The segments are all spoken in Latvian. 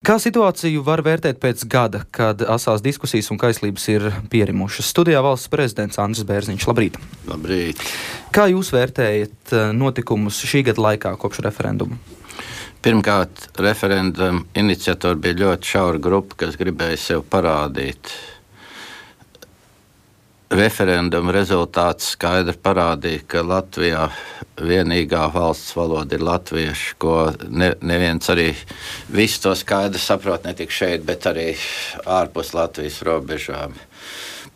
Kā situāciju var vērtēt pēc gada, kad asās diskusijas un kaislības ir pierimušas? Studijā valsts prezidents Andris Bērziņš. Labrīt! Labrīt! Kā jūs vērtējat notikumus šī gada laikā kopš referenduma? Pirmkārt, referenduma iniciatori bija ļoti šaura grupa, kas gribēja sev parādīt. Referenduma rezultāts skaidri parādīja, ka Latvijā vienīgā valsts valoda ir latviešu, ko neviens arī visu to skaidri saprot, ne tikai šeit, bet arī ārpus Latvijas robežām.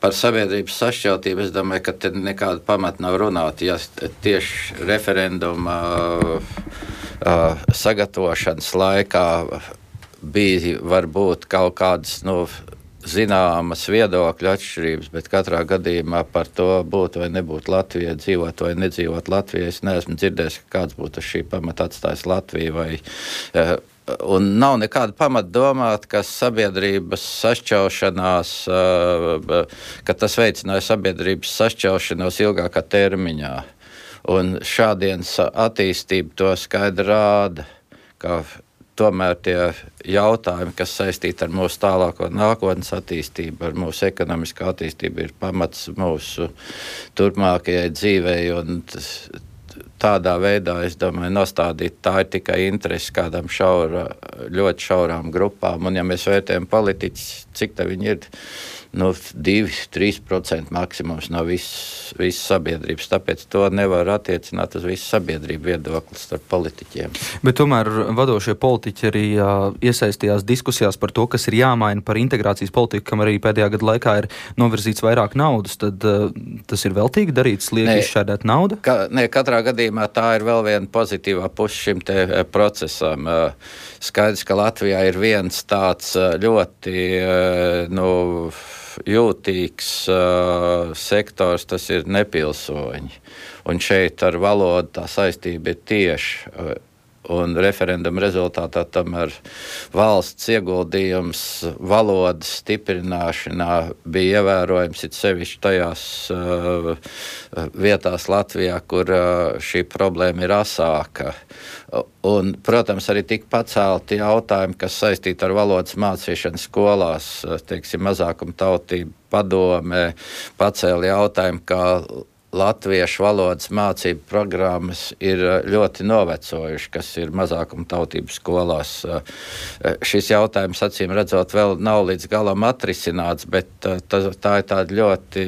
Par sabiedrības sašķeltību es domāju, ka te nekāda pamata nav runāt. Ja tieši referenduma sagatavošanas laikā bija varbūt kaut kādas zināmas viedokļu atšķirības, bet katrā gadījumā par to būt vai nebūt Latvijai, dzīvot vai nedzīvot Latvijai. Es neesmu dzirdējis, ka kāds būtu uz šī pamata atstājis Latviju. Un nav nekāda pamata domāt, ka sabiedrības sašķelšanās, ka tas veicināja sabiedrības sašķelšanos ilgākā termiņā. Un šādienas attīstība to skaidri rāda, ka tomēr tie jautājumi, kas saistīti ar mūsu tālāko nākotnes attīstību, ar mūsu ekonomisko attīstību, ir pamats mūsu turpmākajai dzīvei. Un tādā veidā, es domāju, nostādīt tā ir tikai interesi kādām ļoti šaurām grupām. Un ja mēs vērtējam politiķus, cik tā viņi ir, 2-3% maksimums no visas sabiedrības. Tāpēc to nevar attiecināt uz visu sabiedrību viedokli starp politiķiem. Bet tomēr vadošie politiķi arī iesaistījās diskusijās par to, kas ir jāmaina par integrācijas politiku, kam arī pēdējā gada laikā ir novirzīts vairāk naudas. Tad tas ir veltīgi darīts, lieki izšķērdēt naudu? Katrā gadījumā tā ir vēl viena pozitīvā puse šim te procesam. Skaidrs, ka Latvijā ir viens tāds ļoti jūtīgs sektors, tas ir nepilsoņi. Un šeit ar valodu tā saistība ir tieši. Un referenduma rezultātā tomēr valsts ieguldījums valodas stiprināšanā bija ievērojams, it sevišķi tajās vietās Latvijā, kur šī problēma ir asāka. Un, protams, arī tika pacelti jautājumi, kas saistīti ar valodas mācīšanu skolās. Teiksim, mazākumtautība padome pacēla jautājumu, ka latviešu valodas mācību programmas ir ļoti novecojuši, kas ir mazākumtautību skolās. Šis jautājums, acīm redzot, vēl nav līdz galam atrisināts, bet tā ir tāda ļoti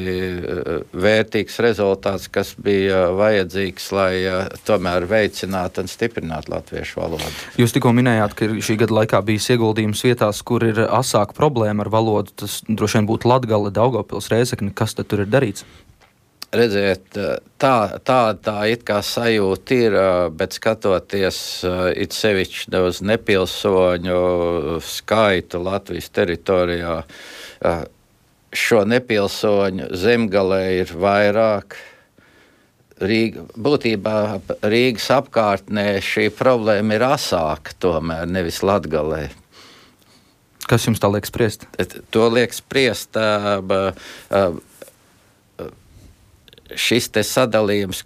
vērtīgs rezultāts, kas bija vajadzīgs, lai tomēr veicinātu un stiprinātu latviešu valodu. Jūs tikko minējāt, ka šī gada laikā bijis ieguldījums vietās, kur ir asāka problēma ar valodu. Tas droši vien būtu Latgale, Daugavpils, Rēzekne. Kas tad tur ir darīts? Redziet, tā it kā sajūta ir, bet skatoties it sevišķi uz nepilsoņu skaitu Latvijas teritorijā, šo nepilsoņu Zemgalē ir vairāk. Būtībā Rīgas apkārtnē šī problēma ir asāka tomēr, nevis Latgalē. Kas jums tā liek spriest? To liek spriest šis te sadalījums,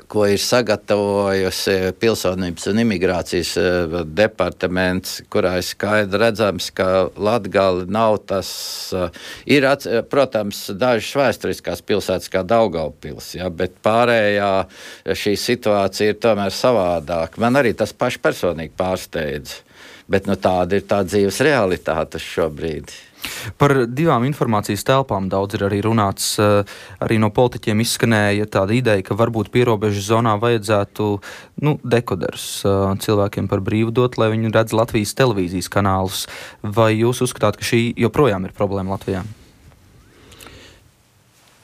ko ir sagatavojusi Pilsonības un imigrācijas departaments, kurā ir skaidri redzams, ka Latgale nav tas. Ir, protams, dažas vēsturiskās pilsētas kā Daugavpils, bet pārējā šī situācija ir tomēr savādāka. Man arī tas paši personīgi pārsteidz, bet tāda ir tā dzīves realitāte šobrīd. Par divām informācijas telpām daudz ir arī runāts. Arī no politiķiem izskanēja tāda ideja, ka varbūt pierobežu zonā vajadzētu dekoderus cilvēkiem par brīvu dot, lai viņi redz Latvijas televīzijas kanālus. Vai jūs uzskatāt, ka šī joprojām ir problēma Latvijā?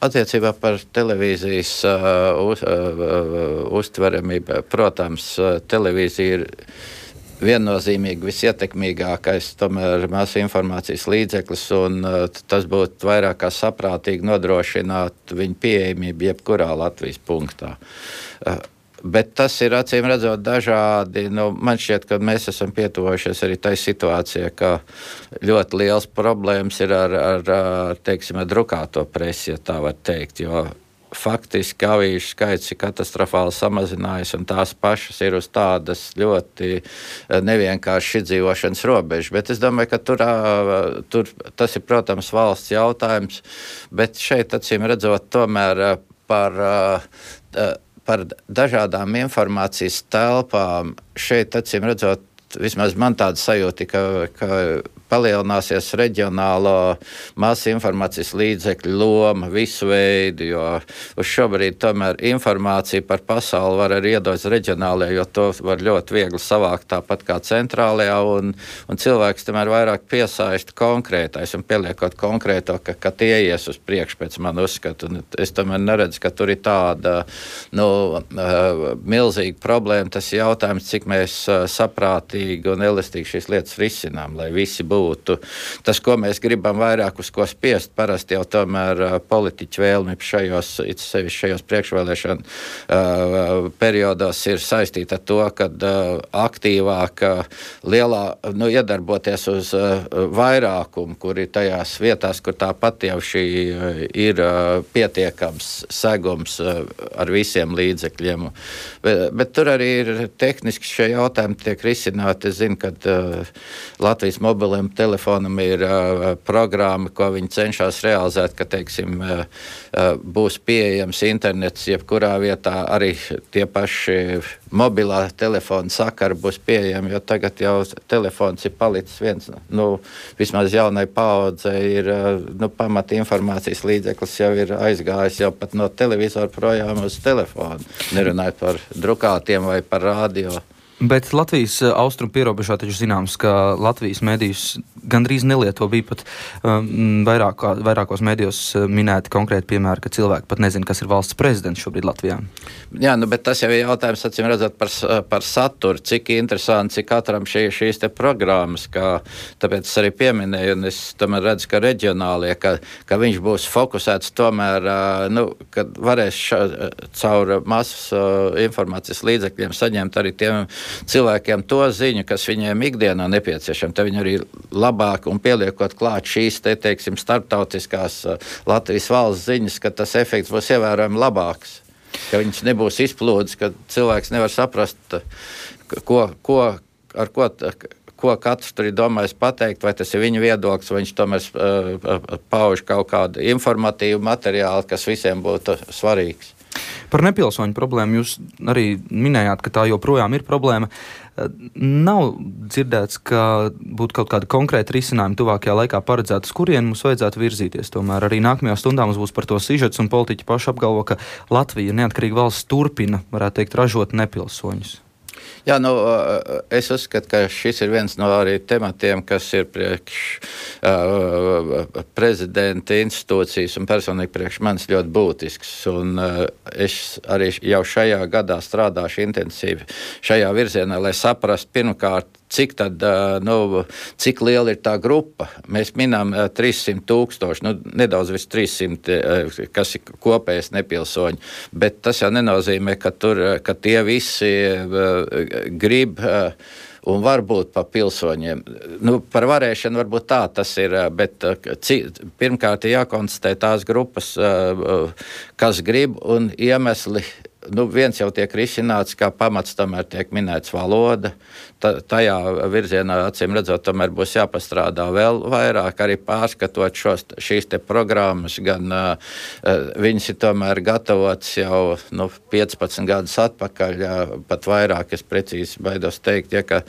Attiecībā par televīzijas uztveramību, protams, televīzija ir viennozīmīgi visietekmīgākais tomēr masu informācijas līdzeklis, un tas būtu vairāk kā saprātīgi nodrošināt viņu pieejamību jebkurā Latvijas punktā. Bet tas ir acīm redzot dažādi. Man šķiet, ka mēs esam pietuvojušies arī tai situācijai, ka ļoti liels problēmas ir ar drukāto presi, ja tā var teikt, jo faktiski avīžu skaits ir katastrofāli samazinājies, un tās pašas ir uz tādas ļoti nevienkārši izdzīvošanas robežas. Bet es domāju, ka tur tas ir, protams, valsts jautājums, bet šeit, acīm redzot, tomēr par dažādām informācijas telpām šeit, acīm redzot, vismaz man tāda sajūta, ka palielināsies reģionālo masu informācijas līdzekļu loma, visu veidu, jo uz šobrīd tomēr informācija par pasauli var arī iedot reģionālajā, jo to var ļoti viegli savākt tāpat kā centrālajā, un cilvēks tomēr vairāk piesaista konkrētais un pieliekot konkrēto, ka tie ies uz priekšu pēc man uzskatu. Un es tomēr neredzu, ka tur ir tāda milzīga problēma. Tas ir jautājums, cik mēs saprātīgi un elastīgi šīs lietas risinām, lai visi būtu. Tas, ko mēs gribam vairāk uz ko spiest, parasti jau tomēr politiķu vēlmi šajos priekšvēlēšanu periodos ir saistīta ar to, ka aktīvāk iedarboties uz vairākumu, kur ir tajās vietās, kur tāpat jau šī ir pietiekams segums ar visiem līdzekļiem. Bet tur arī ir tehniski šie jautājumi tiek risināti. Es zinu, ka Latvijas mobiliem telefonam ir programma, ko viņi cenšas realizēt, ka, teiksim, būs pieejams internets jebkurā vietā, arī tie paši mobilā telefona sakari būs pieejami, jo tagad jau telefons ir palicis viens, vismaz jaunai paaudzei ir, pamata informācijas līdzeklis jau ir aizgājis jau pat no televizora projām uz telefonu, nerunājot par drukātiem vai par radio. Bet Latvijas austrumu pierobežā taču zināms, ka Latvijas medijus gandrīz nelieto. Bija pat vairākos medijos minēti konkrēti piemēri, ka cilvēki pat nezina, kas ir valsts prezidents šobrīd Latvijā. Jā, bet tas jau ir jautājums, acīm redzot, par saturu, cik interesanti, cik katram šīs te programmas, tāpēc es arī pieminēju, un es tomēr redzu, ka reģionālie, ka viņš būs fokusēts tomēr, kad varēs caur masas informācijas līdzekļiem saņemt arī tiem cilvēkiem to ziņu, kas viņiem ikdienā nepieciešama. Tad viņi arī labāk un pieliekot klāt šīs teiksim, starptautiskās Latvijas valsts ziņas, ka tas efekts būs ievērojami labāks. Ka viņš nebūs izplūdis, ka cilvēks nevar saprast, ko katrs tur ir domājis pateikt, vai tas ir viņa viedoklis, vai viņš tomēr pauž kaut kādu informatīvu materiālu, kas visiem būtu svarīgs. Par nepilsoņu problēmu jūs arī minējāt, ka tā joprojām ir problēma. Nav dzirdēts, ka būtu kaut kāda konkrēta risinājuma tuvākajā laikā paredzēta, uz kurien mums vajadzētu virzīties. Tomēr arī nākamajā stundā mums būs par to sižets, un politiķi paši apgalvo, ka Latvija, neatkarīga valsts, turpina, varētu teikt, ražot nepilsoņus. Jā, es uzskatu, ka šis ir viens no arī tematiem, kas ir priekš prezidenta institūcijas un personīgi priekš manis ļoti būtisks. Un es arī jau šajā gadā strādāšu intensīvi šajā virzienā, lai saprastu pirmkārt, cik liela ir tā grupa. Mēs minām 300,000, nedaudz virs 300, kas ir kopējais nepilsoņi, bet tas jau nenozīmē, ka tie visi grib un var būt pa pilsoņiem. Par varēšanu varbūt tā tas ir, bet pirmkārt ir jākonstatē tās grupas, kas grib un iemesli. Viens jau tiek risināts, kā pamats tomēr tiek minēts valoda. Tajā virzienā, acīm redzot, tomēr būs jāpastrādā vēl vairāk, arī pārskatot šīs te programmas, gan viņas ir tomēr gatavotas jau 15 gadus atpakaļ, pat vairāk, es precīzi baidos teikt, ka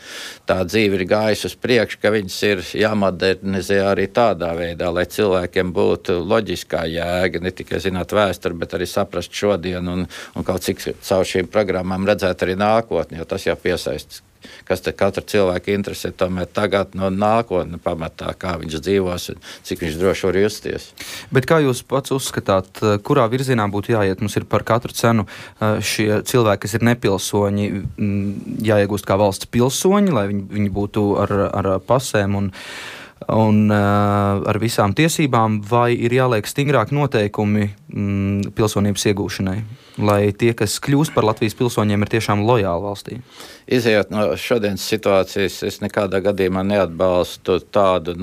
tā dzīve ir gājusi uz priekšu, ka viņas ir jāmodernizē arī tādā veidā, lai cilvēkiem būtu loģiskā jēga, ne tikai zināt vēsturi, bet arī saprast šodienu un kaut cik caur šīm programmām redzēt arī nākotni, jo tas jau piesaista, kas te katra cilvēka interesē tomēr tagad no nākotne pamatā, kā viņš dzīvos un cik viņš droši var justies. Bet kā jūs pats uzskatāt, kurā virzienā būtu jāiet? Mums ir par katru cenu šie cilvēki, kas ir nepilsoņi, jāiegūst kā valsts pilsoņi, lai viņi būtu ar pasēm un ar visām tiesībām, vai ir jāliek stingrāk noteikumi pilsonības iegūšanai, lai tie, kas kļūst par Latvijas pilsoņiem, ir tiešām lojāli valstī? Izejot no šodienas situācijas, es nekādā gadījumā neatbalstu tādu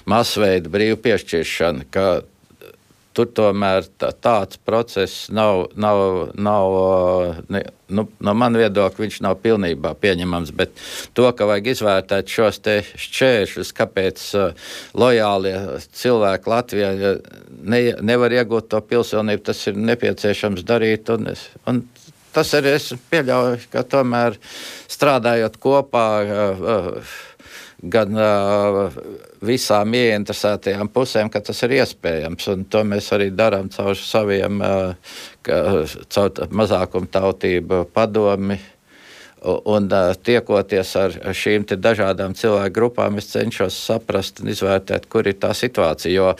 masveidu brīvu piešķiršanu, ka tur tomēr tāds process nav no man viedokļa viņš nav pilnībā pieņemams, bet to, ka vajag izvērtēt šos te šķēršļus, kāpēc lojālie cilvēki Latvijā nevar iegūt to pilsonību, tas ir nepieciešams darīt, un tas arī es pieļauju, ka tomēr strādājot kopā gan visām ieinteresētajām pusēm, ka tas ir iespējams, un to mēs arī darām caur saviem, caur mazākumtautību padomi, un tiekoties ar šīm te dažādām cilvēku grupām, es cenšos saprast un izvērtēt, kur ir tā situācija, jo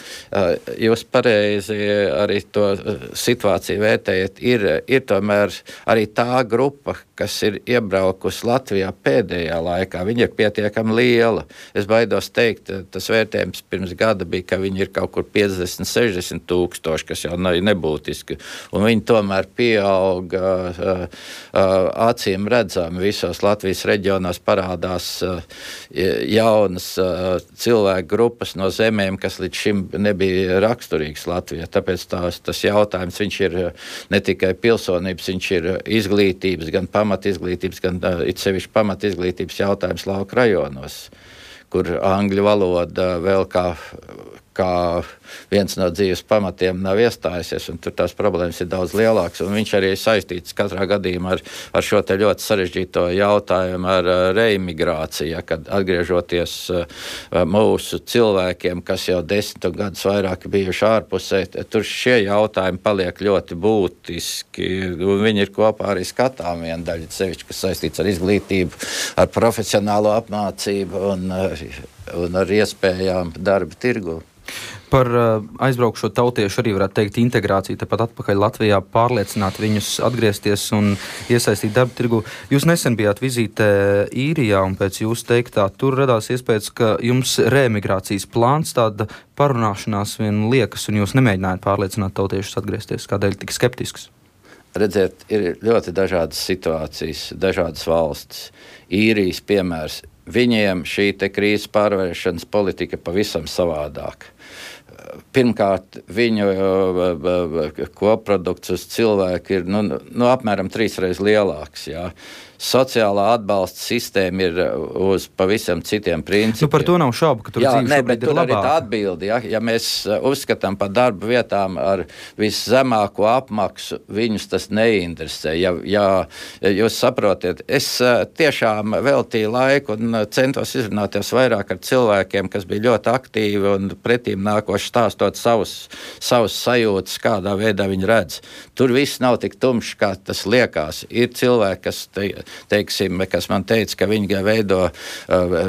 jūs pareizi arī to situāciju vērtējat, ir tomēr arī tā grupa, kas ir iebraukusi Latvijā pēdējā laikā, viņa ir pietiekami liela. Es baidos teikt, tas vērtējums pirms gada bija, ka viņi ir kaut kur 50-60 tūkstoši, kas jau nebūtiski, un viņi tomēr pieauga acīm redzami. Visos Latvijas reģionos parādās jaunas cilvēku grupas no zemēm, kas līdz šim nebija raksturīgs Latvijā. Tāpēc tas jautājums, viņš ir ne tikai pilsonības, viņš ir izglītības, gan pamatizglītības, gan it sevišķi pamatizglītības jautājums lauku rajonos, kur angļu valoda vēl kā viens no dzīves pamatiem nav iestājusies, un tur tās problēmas ir daudz lielākas, un viņš arī ir saistīts katrā gadījumā ar šo te ļoti sarežģīto jautājumu ar reimigrāciju, kad atgriežoties mūsu cilvēkiem, kas jau 10 gadus vairāk bijuši ārpusē, tur šie jautājumi paliek ļoti būtiski, un viņi ir kopā arī skatām viena daļa, sevišķi, kas saistīts ar izglītību, ar profesionālo apmācību un ar iespējām darba tirgu. Par aizbraukšo tautiešu arī varētu teikt integrāciju, tepat atpakaļ Latvijā, pārliecināt viņus atgriezties un iesaistīt darba tirgu. Jūs nesen bijāt vizītē Īrijā, un pēc jūsu teiktā tur radās iespējas, ka jums reemigrācijas plāns, tāda parunāšanās vien liekas, un jūs nemēģinājāt pārliecināt tautiešus atgriezties. Kādēļ tik skeptisks? Redziet, ir ļoti dažādas situācijas, dažādas valstis. Īrijas piemērs. Viņiem šī te krīzes pārvēršanas politika pavisam savādāk. Pirmkārt, viņu koprodukts uz cilvēku ir apmēram 3 reizes lielāks. Jā. Sociālā atbalsta sistēma ir uz pavisam citiem principiem. Par to nav šaubu, ka tur dzīve šobrīd ir labāka. Tur arī tā atbildi. Ja mēs uzskatām par darba vietām ar viszemāko apmaksu, viņus tas neinteresē. Ja jūs saprotiet, es tiešām veltīju laiku un centos izrunāties vairāk ar cilvēkiem, kas bija ļoti aktīvi un pretīm nākoši stāstot savus sajūtas, kādā veidā viņi redz. Tur viss nav tik tumšs, kā tas liekas. Ir cilvēki, kas man teica, ka viņi veido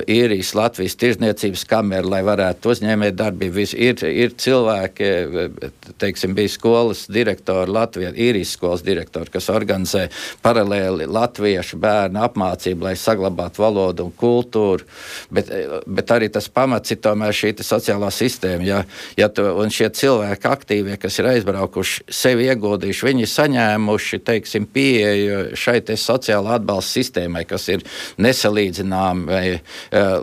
Īrijas Latvijas tirdzniecības kameru, lai varētu uzņēmēt darbību. Ir cilvēki, bija skolas direktori Latvijā, Īrijas skolas direktori, kas organizē paralēli latviešu bērnu apmācību, lai saglabātu valodu un kultūru, bet arī tas pamats ir tomēr šī sociālā sistēma. Un šie cilvēki aktīvie, kas ir aizbraukuši, sevi ieguldījuši, viņi ir saņēmuši, pieeju šai sociālā atbalsta sistēmai, kas ir nesalīdzināmi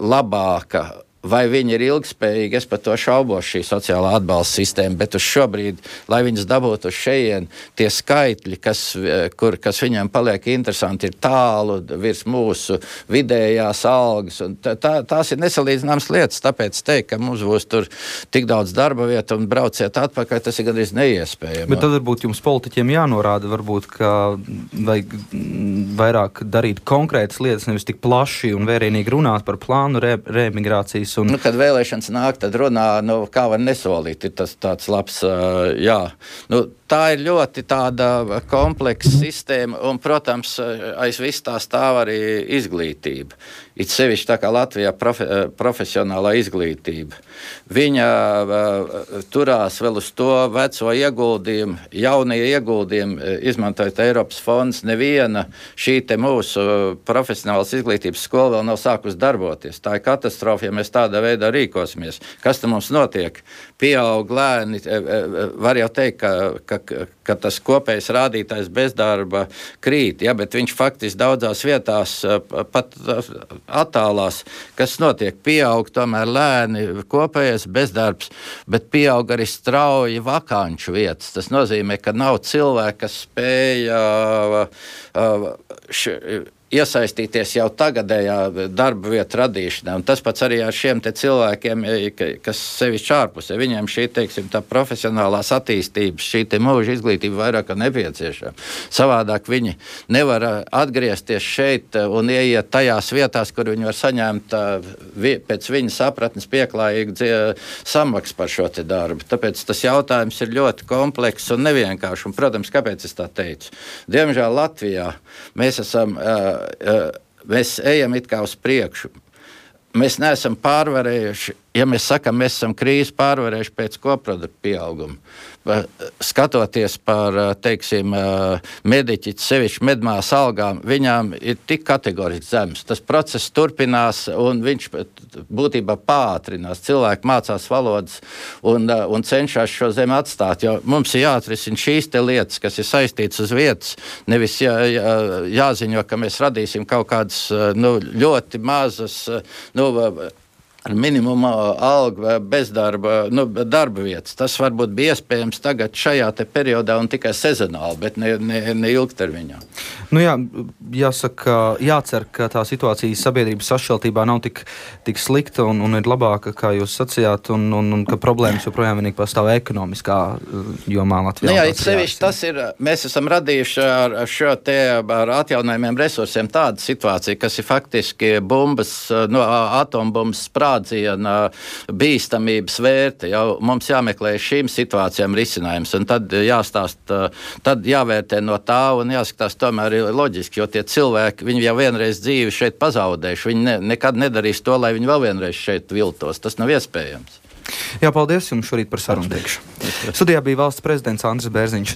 labāka. Vai viņi ir ilgspējīgi, es par to šaubos šī sociālā atbalsta sistēma, bet uz šobrīd, lai viņas dabūtu uz šejien, tie skaitļi, kas viņiem paliek interesanti, ir tālu virs mūsu vidējās algas, un tās ir nesalīdzināmas lietas, tāpēc teikt, ka mums būs tur tik daudz darba vietu un brauciet atpakaļ, tas ir gandrīz neiespējami. Bet tad varbūt jums politiķiem jānorāda, varbūt, ka vajag vairāk darīt konkrētas lietas, nevis tik plaši un vērienīgi runāt par plānu reemigrācijas. Kad vēlēšanas nāk, tad runā, kā var nesolīt, ir tas tāds labs, jā. Tā ir ļoti tāda kompleksa sistēma, un, protams, aiz viss tā stāv arī izglītība. It sevišķi tā kā Latvijā profesionālā izglītība. Viņa turās vēl uz to veco ieguldījumu, jaunie ieguldījumi, izmantojot Eiropas fondus, neviena šī te mūsu profesionālas izglītības skola vēl nav sākus darboties. Tā ir katastrofa, ja mēs tā šādā veidā rīkosimies. Kas tam mums notiek? Pieaug lēni, var jau teikt, ka tas kopējais rādītājs bezdarba krīt, ja, bet viņš faktiski daudzās vietās pat attālās. Kas notiek? Pieaug tomēr lēni kopējais bezdarbs, bet pieaug arī strauji vakanču vietas. Tas nozīmē, ka nav cilvēki, kas spēja iesaistīties jau tagadējā darba vietu radīšanā. Un tas pats arī ar šiem te cilvēkiem, kas sevišķi ārpusē. Viņiem šī, teiksim, tā profesionālās attīstības, šī te mūža izglītība vairāk nepieciešama. Savādāk viņi nevar atgriezties šeit un ieiet tajās vietās, kur viņi var saņemt pēc viņa sapratnes pieklājīgu samaksu par šo te darbu. Tāpēc tas jautājums ir ļoti komplekss un nevienkāršs. Un, protams, kāpēc es tā teicu? Diemžēl Latvijā mēs ejam it kā uz priekšu. Mēs neesam pārvarējuši, ja mēs sakam, mēs esam krīzi pārvarējuši pēc koproduktu pieauguma. Skatoties par, teiksim, mediķi, sevišķi medmās algām, viņām ir tik kategoriski zemes. Tas process turpinās un viņš būtībā pātrinās. Cilvēki mācās valodas un cenšas šo zemi atstāt, jo mums ir jāatrisina šīs te lietas, kas ir saistītas uz vietas, nevis jāziņo, ka mēs radīsim kaut kādas ļoti mazas, ar minimumu algu bezdarba, darba vietas. Tas varbūt bija iespējams tagad šajā te periodā un tikai sezonāli, bet ne ilgtermiņā. Jācer, ka tā situācija sabiedrības sašķeltībā nav tik slikta un ir labāka, kā jūs sacījāt, un ka problēmas joprojām vienīgi pastāv ekonomiskā jomā Latvijā. Sevišķi tas ir, mēs esam radījuši ar atjaunojumiem resursiem tādu situāciju, kas ir faktiski atombumbas sprādziena bīstamības vērte. Jau mums jāmeklē šīm situācijām risinājums, un tad tad jāvērtē no tā un jāskatās tomēr loģiski, jo tie cilvēki, viņi jau vienreiz dzīvi šeit pazaudējuši, viņi nekad nedarīs to, lai viņi vēl vienreiz šeit viltos. Tas nav iespējams. Jā, paldies jums šorīt par sarunu. Studijā bija valsts prezidents Andris Bērziņš.